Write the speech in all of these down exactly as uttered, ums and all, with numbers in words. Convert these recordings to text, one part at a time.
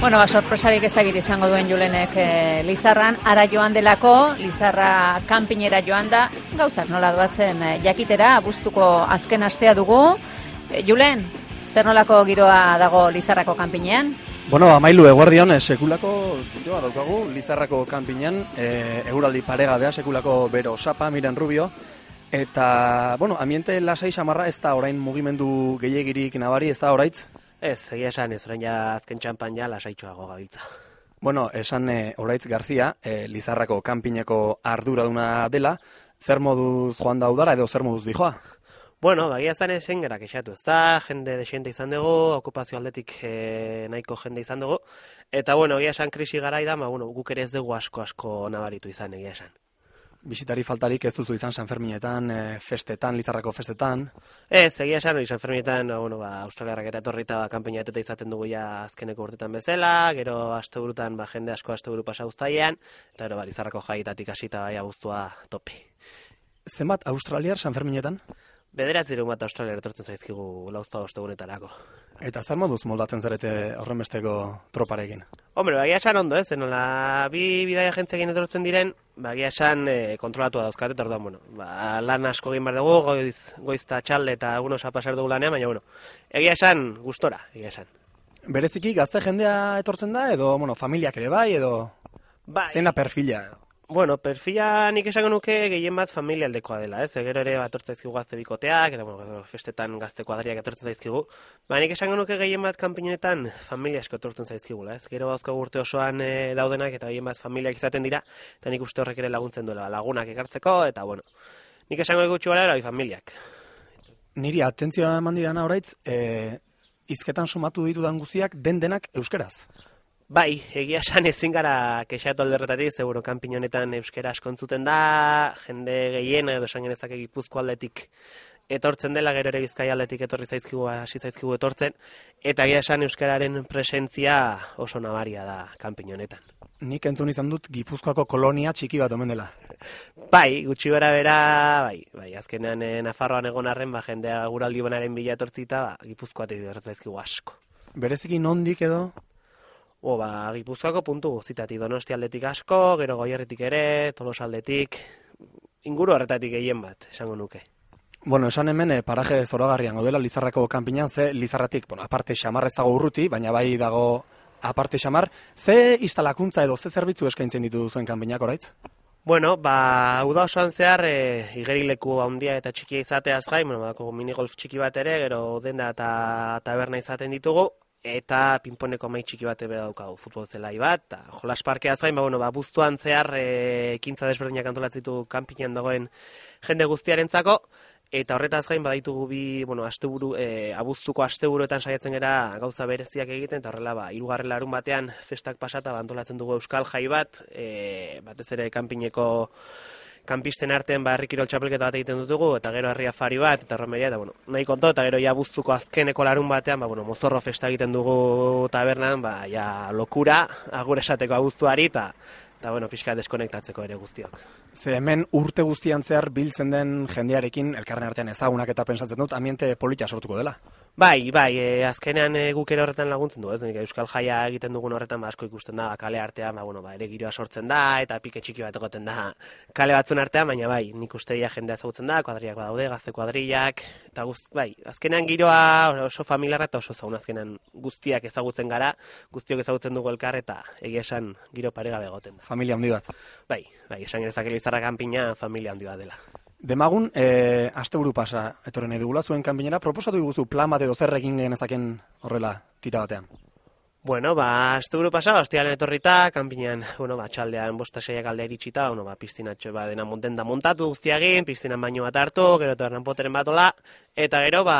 Bueno, ba, sorpresarik ez dakit izango duen Julenek e, Lizarran, ara joan delako, Lizarra kanpinera joan da, gauzak nola doazen e, jakitera, abuztuko azken astea dugu. E, Julen, zer nolako giroa dago Lizarrako kanpinean? Bueno, amailu eguerdion, e, sekulako giroa daukagu Lizarrako kanpinean, e, eguraldi paregabea, sekulako bero sapa, Miren Rubio, eta, bueno, ambiente lasai samarra ez da orain mugimendu gehiagirik nabari, ez da oraitz? Ez, egia esan ez, orain ja azken txampan ja lasaitxoago gabiltza. Bueno, esan e, Oraitz Garzia, e, Lizarrako kanpineko arduraduna dela, zer moduz joan da udara edo zer moduz dijoa? Bueno, bagia esan ezen gara kexatu, ez da, jende desiente izan dugu, okupazio aldetik e, nahiko jende izan dugu, eta bueno, egia esan krisi garai da, ma, bueno, guk ere ez dugu asko-asko nabaritu izan, egia esan. Bisitari faltarik ez duzu izan San Ferminetan, e, festetan, Lizarrako festetan? Ez, egia esan, hori San Ferminetan, bueno, ba, australiarrak eta etorrita ba, kanpeinateta izaten dugu ja azkeneko urtetan bezala, gero asteburutan ba, jende asko asteburu pasa uztailean, eta gero ba, Lizarrako jaietatik hasita bai abuztua topi. Zenbat australiar San Ferminetan? Bederatzireun bat australiar etortzen zaizkigu lauzta ostegunetarako. Eta zer moduz moldatzen zarete horrenbesteko troparekin? Hombre, bagia esan ondo, ez? Zenola, bi bidaia jentzekin etortzen diren, bagia esan e, kontrolatua dauzkat, eta orduan, bueno, ba, lan asko egin behar dugu, goiz, goiz eta txalde eta egun osa pasar dugu lanean, baina, bueno, egia esan, gustora, egia esan. Bereziki gazte jendea etortzen da, edo, bueno, familiak ere bai, edo... Bai. Zein da perfila? Bueno, perfila nik esango nuke gehien bat familia aldekoa dela, ez? Gero ere bat etortzen zaizkigu gazte bikoteak, eta bueno, festetan gazte kuadriak etortzen zaizkigu. Ba, nik esango nuke gehien bat kanpinetan familia asko etortzen zaizkigula, ez? Gero bazko urte osoan e, daudenak eta gehien bat familiak izaten dira, eta nik uste horrek ere laguntzen duela, lagunak ekartzeko, eta bueno, nik esango gutxi gara bai familiak. Niri atentzioa eman didana oraitz, e, hizketan sumatu ditudan guztiak den denak euskeraz. Bai, egia esan ezin gara kexatu alderretatik, seguro kanpin honetan euskera asko entzuten da, jende gehien edo esan genezake Gipuzko aldetik etortzen dela, gero ere Bizkaia aldetik etorri zaizkigu, hasi zaizkigu etortzen, eta egia esan euskararen presentzia oso nabaria da kanpin honetan. Nik entzun izan dut Gipuzkoako kolonia txiki bat omen dela. Bai, gutxi bera bera, bai, bai, azkenean eh, Nafarroan egon arren, ba, jendea guraldi bonaren bila etortzita, ba, Gipuzkoatik etortzen zaizkigu asko. Bereziki nondik edo? O, ba, Gipuzkoako puntu guztitatik, Donosti aldetik asko, gero Goierritik ere, Tolos aldetik, inguru horretatik gehien bat, esango nuke. Bueno, esan hemen eh, paraje zoragarrian gaudela Lizarrako kanpinan, ze Lizarratik, bueno, aparte xamar ez dago urruti, baina bai dago aparte xamar, ze instalakuntza edo ze zerbitzu eskaintzen ditu zuen kanpinak oraitz? Bueno, ba, uda osoan zehar, e, igerileku handia eta txikia izateaz gain, bueno, badako minigolf txiki bat ere, gero denda eta taberna izaten ditugu, eta pinponeko mai txiki bat ebe daukagu, futbol zelai bat, eta jolas parkeaz gain, ba, bueno, ba, buztuan zehar e, ekintza desberdinak antolatzitu kanpinean dagoen jende guztiarentzako, eta horretaz gain badaitugu bi, bueno, asteburu, e, abuztuko asteburuetan saiatzen gera gauza bereziak egiten, eta horrela, ba, hirugarren larun batean festak pasata, ba, antolatzen dugu euskal jai bat, e, batez ere kanpineko kanpisten artean ba, herri kirol txapelketa bat egiten dutugu, eta gero herri afari bat, eta romeria, eta bueno, nahi konto, eta gero ja abuztuko azkeneko larun batean, ba, bueno, mozorro festa egiten dugu tabernan, ba, ja lokura, agur esateko abuztuari, eta eta bueno, pixka deskonektatzeko ere guztiok. Ze hemen urte guztian zehar biltzen den jendearekin, elkarren artean ezagunak eta pensatzen dut, ambiente polita sortuko dela. Bai, bai, e, azkenean e, guk ere horretan laguntzen du, ez? Nik euskal jaia egiten dugun horretan ba, asko ikusten da, kale artean, ba, bueno, ba, ere giroa sortzen da, eta pike txiki bat egoten da kale batzun artean, baina bai, nik uste ja jendea ezagutzen da, kuadriak badaude, gazte kuadriak, eta guzt, bai, azkenean giroa oso familiarra eta oso zaun, azkenean guztiak ezagutzen gara, guztiok ezagutzen dugu elkar, eta egia esan giro paregabe egoten da. Familia handi bat. Bai, bai, esan genezake Lizarra kanpina familia handi bat dela. Demagun, e, asteburu pasa etorren edugula zuen kanpinera, proposatu diguzu plan bat edo zer egin genezaken horrela tita batean? Bueno, ba, asteburu pasa, ostialen etorrita, kanpinean, bueno, ba, txaldean bosta seiak alde iritsita, bueno, ba, piztinatxo ba, dena monten da montatu guztiagin, piztinan baino bat hartu, gero tabernan poteren batola, eta gero, ba,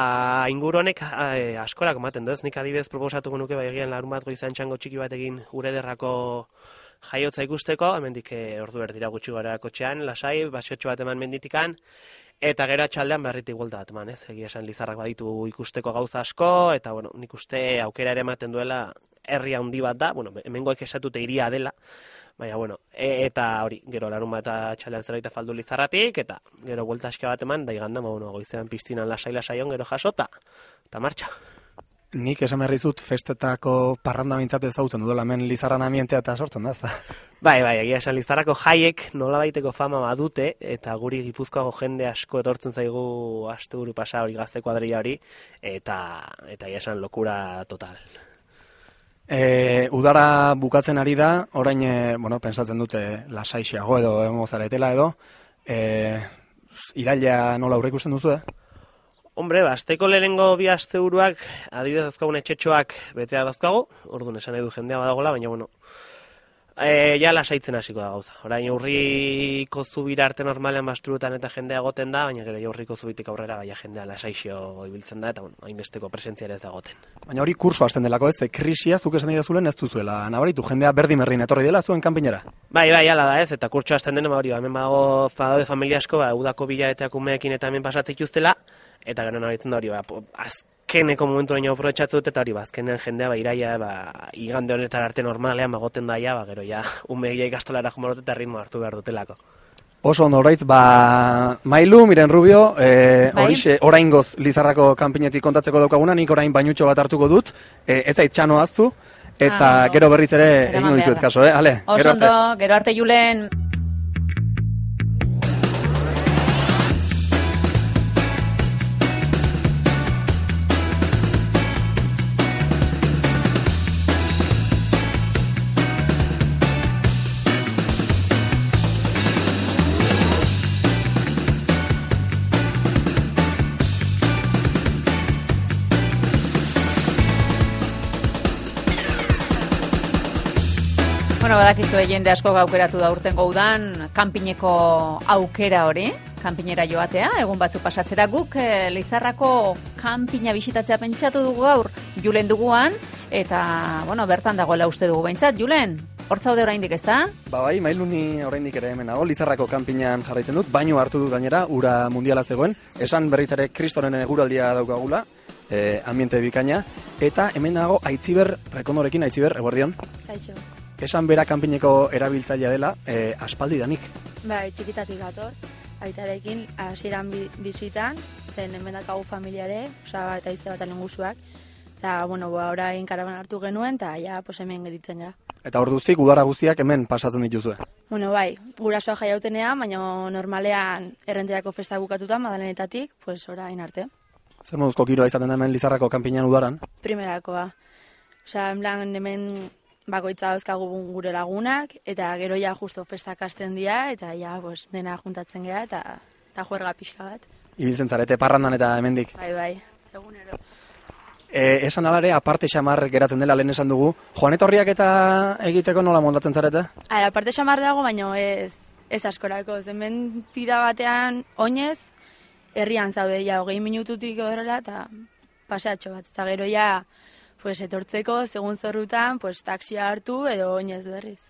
inguru honek e, askorak ematen du, ez nik adibidez proposatuko nuke, ba, egian larun bat goizan txango txiki bat egin gure derrako jaiotza ikusteko, hemendik e, ordu berdira gutxi gara kotxean, lasai, basiotxo bat eman menditikan, eta gero atxaldean berritik buelta bat eman, ez? Egia esan Lizarrak baditu ikusteko gauza asko, eta bueno, nik uste aukera ere ematen duela herri handi bat da, bueno, hemengoek esatute iria dela, baina bueno, e, eta hori, gero larun bat atxaldean zerbait faldu Lizarratik, eta gero buelta aske bat eman, da iganda, bueno, goizean piztinan lasai-lasaion gero jasota, eta martxa. Nik esan berri zut festetako parranda mintzat ezagutzen dudala, hemen Lizarran ambientea eta sortzen da, ezta? Bai, bai, egia esan Lizarrako jaiek nolabaiteko fama badute, eta guri Gipuzkoako jende asko etortzen zaigu asteburu pasa hori gazte kuadrilla hori, eta eta egia esan lokura total. E, udara bukatzen ari da, orain, e, bueno, pensatzen dute lasaixiago edo egongo zaretela edo, e, iraila nola aurreikusten duzu, eh? Hombre, asteko lehenengo bi asteburuak adibidez dauzkagun etxetxoak betea dauzkagu, orduan esan nahi du jendea badagola, baina bueno, e, ja lasaitzen hasiko da gauza. Orain aurriko zubira arte normalean bastruetan eta jendea egoten da, baina gero aurriko zubitik aurrera baina jendea lasaixo ibiltzen da eta bueno, hainbesteko presentzia ere ez da egoten. Baina hori kurso hasten delako, ez, krisia zuk esan dazulen ez duzuela nabaritu, jendea berdin-berdin etorri dela zuen kanpinera. Bai, bai, hala da ez, eta kurtso hasten dena, ba, hori, ba, hemen badago badaude familia asko, ba, udako bilaeteak umeekin eta hemen pasatzen dituztela, eta gero nabaritzen da hori, ba, azkeneko momentu baino aprobetxatzu dut, eta hori, ba, azkenean jendea, ba, iraia, ba, igande honetan arte normalean, ba, goten daia, ba, gero, ja, umeegia ikastolara jumarot eta ritmo hartu behar dutelako. Oso ondo oraitz, ba, Mailu, Miren Rubio, e, bai? horixe, oraingoz Lizarrako kanpinetik kontatzeko daukaguna, nik orain bainutxo bat hartuko dut, e, ez zait txano aztu, eta Ah, gero berriz ere eraman egingo behar dizuet da. kaso, eh? Ale, Oso gero arte. ondo, gero arte Julen. Bueno, badakizue jende asko aukeratu da urtengo udan kanpineko aukera hori, kanpinera joatea, egun batzuk pasatzera guk e, Lizarrako kanpina bisitatzea pentsatu dugu gaur Julen duguan, eta, bueno, bertan dagoela uste dugu behintzat. Julen, hor zaude oraindik, ezta? Ba bai, Mailu ni oraindik ere hemen nago, Lizarrako kanpinan jarraitzen dut, baino hartu dut gainera, ura mundiala zegoen, esan berriz ere Kristoren eguraldia daukagula, e, ambiente bikaina, eta hemen dago Aitziber Rekondorekin, Aitziber, eguerdion. Kaixo. Esan bera kanpineko erabiltzailea dela, e, aspaldi danik. Bai, txikitatik gator, aitarekin hasieran bi, bizitan, zen hemen dakagu familiare, osaba eta izte bat alenguzuak, eta, bueno, ba, orain karaban hartu genuen, eta ja, pues hemen geditzen ga. Eta orduztik udara guztiak hemen pasatzen dituzue. Bueno, bai, gurasoa jaiautenean, baina normalean errenterako festa bukatuta, Madalenetatik, pues orain arte. Zer moduzko giroa izaten da hemen Lizarrako kanpinan udaran? Primerakoa. Osea, en plan, hemen bakoitza dauzkagu gure lagunak, eta gero ja justo festak hasten dira, eta ja pues, dena juntatzen gea, eta, eta juerga pixka bat. Ibiltzen zarete parrandan eta hemendik. Bai, bai, egunero. E, esan alare, aparte xamar geratzen dela lehen esan dugu, joan etorriak eta egiteko nola montatzen zarete? Ara, parte xamar dago, baina ez, ez askorako. Hemen tira batean oinez, herrian zaude, ja, hogei minututik horrela, eta paseatxo bat. Eta gero ja, pues, etortzeko, segun zorrutan, pues, taksia hartu edo oinez berriz.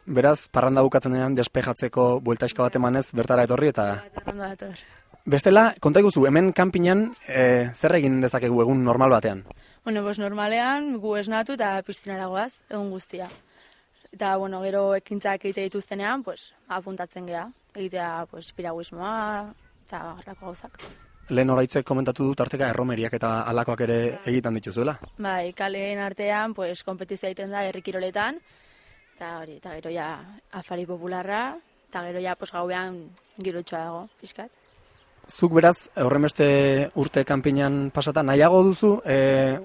Beraz, parranda bukatzen denean despejatzeko bueltaiska bat emanez bertara etorri eta... Ondo dator. Bestela, konta iguzu, hemen kanpinan e, zer egin dezakegu egun normal batean? Bueno, pues, normalean gu esnatu eta piztinara goaz, egun guztia. Eta, bueno, gero ekintzak egite dituztenean, pues, apuntatzen gea. Egitea, pues, piraguismoa eta horrako gauzak. Lehen horaitzek komentatu dut arteka erromeriak eta alakoak ere egiten dituzuela. Bai, kaleen artean, pues, kompetizia egiten da herrikiroletan, eta hori, eta gero ja afari popularra, eta gero ja pues, gauean girotxoa dago, fiskat. Zuk beraz, horrenbeste urte kanpinan pasata, nahiago duzu, e,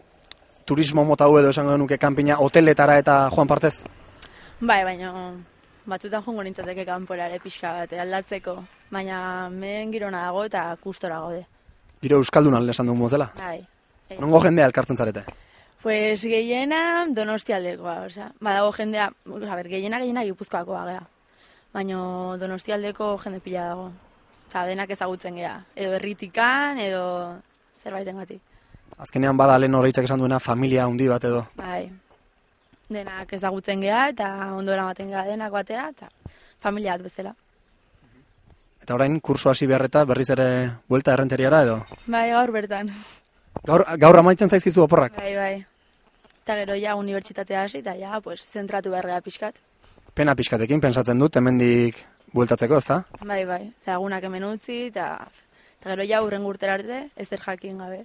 turismo mota hau edo esango nuke kanpina hoteletara eta joan partez? Bai, baina batzutan jongo nintzateke kanporare pixka bat, aldatzeko, baina men girona dago eta kustora gaude. Giro euskaldunan esan dugu mozela? Bai. Nongo jendea elkartzen zarete? Pues gehiena donostialdekoa, osea, badago jendea, a ber, gehiena gehiena Gipuzkoakoa gea, baina donostialdeko jende pila dago. Osa, denak ezagutzen gea, edo herritikan, edo zerbaitengatik. Azkenean bada lehen horreitzak esan duena familia handi bat edo. Bai, denak ezagutzen gea, eta ondo eramaten gea denak batera, eta familia bat bezala. Eta orain, kurso hasi beharreta berriz ere buelta errenteriara edo? Bai, gaur bertan. Gaur, gaur amaitzen zaizkizu oporrak? Bai, bai. Eta gero ja unibertsitatea hasi, eta ja, pues, zentratu beharrea pixkat. Pena pixkatekin, pensatzen dut, hemendik bueltatzeko, ezta? Bai, bai. Eta egunak hemen utzi, eta, eta gero ja urren urtera arte, ezer jakin gabe.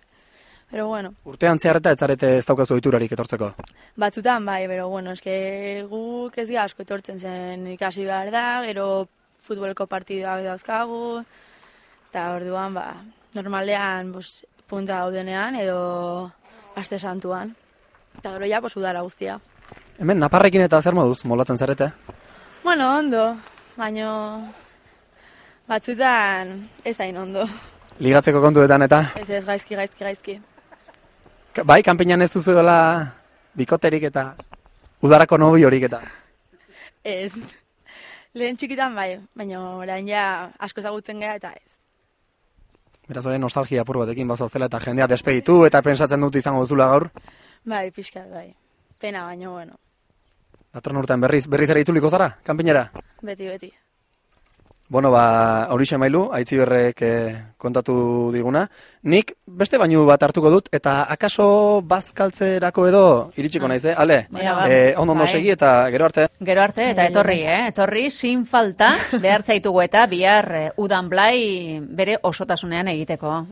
Pero bueno. Urtean zehar eta ez zarete ez daukazu ohiturarik etortzeko. Batzutan bai, pero bueno, eske guk ez gara asko etortzen zen ikasi behar da, gero futboleko partidoak dauzkagu, eta orduan, ba, normalean, bus, punta gaudenean edo aste santuan. Eta gero ja, pues, udara guztia. Hemen, naparrekin eta zer moduz, molatzen zarete? Bueno, ondo, baino batzutan ez hain ondo. Ligatzeko kontuetan eta? Ez ez, gaizki, gaizki, gaizki. Bai, kanpinan ez duzuela bikoterik eta udarako nobi horik eta? Ez. Lehen txikitan bai, baina orain ja asko ezagutzen gara eta ez. Beraz, hori nostalgia apur batekin bazoaztela eta jendea despeditu eta pensatzen dut izango duzula gaur? Bai, pixkat, bai. Pena baino, bueno. Datorren urtean berriz, berriz ere itzuliko zara, kanpinera? Beti, beti. Bueno, ba, horixe mailu, Aitziberrek eh, kontatu diguna. Nik beste bainu bat hartuko dut, eta akaso bazkaltzerako edo iritsiko naiz, eh? Ale, Bueno, ba, eh, ondo ondo bai. segi eta gero arte. Gero arte, eta etorri, eh? Etorri, sin falta, behar zaitugu eta bihar eh, udan blai bere osotasunean egiteko.